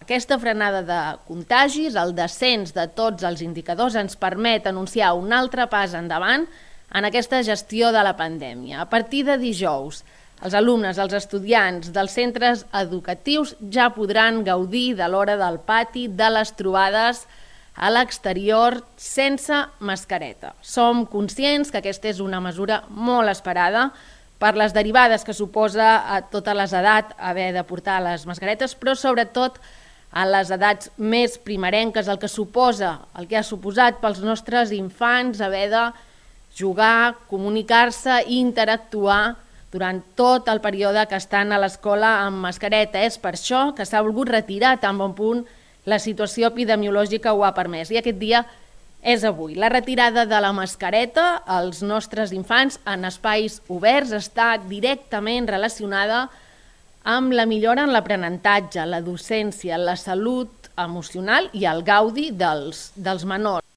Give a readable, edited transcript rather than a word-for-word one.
Aquesta frenada de contagis, el descens de tots els indicadors, ens permet anunciar un altre pas endavant en aquesta gestió de la pandèmia. A partir de dijous, els alumnes, els estudiants dels centres educatius ja podran gaudir de l'hora del pati, de les trobades a l'exterior sense mascareta. Som conscients que aquesta és una mesura molt esperada per les derivades que suposa a totes les edats haver de portar les mascaretes, però sobretot a les edats més primerenques, el que ha suposat pels nostres infants haver de jugar, comunicar-se i interactuar durant tot el període que estan a l'escola amb mascareta. És per això que s'ha volgut retirar tan bon punt la situació epidemiològica ho ha permès. I aquest dia és avui. La retirada de la mascareta als nostres infants en espais oberts està directament relacionada amb la millora en l'aprenentatge, la docència, la salut emocional i el gaudi dels menors.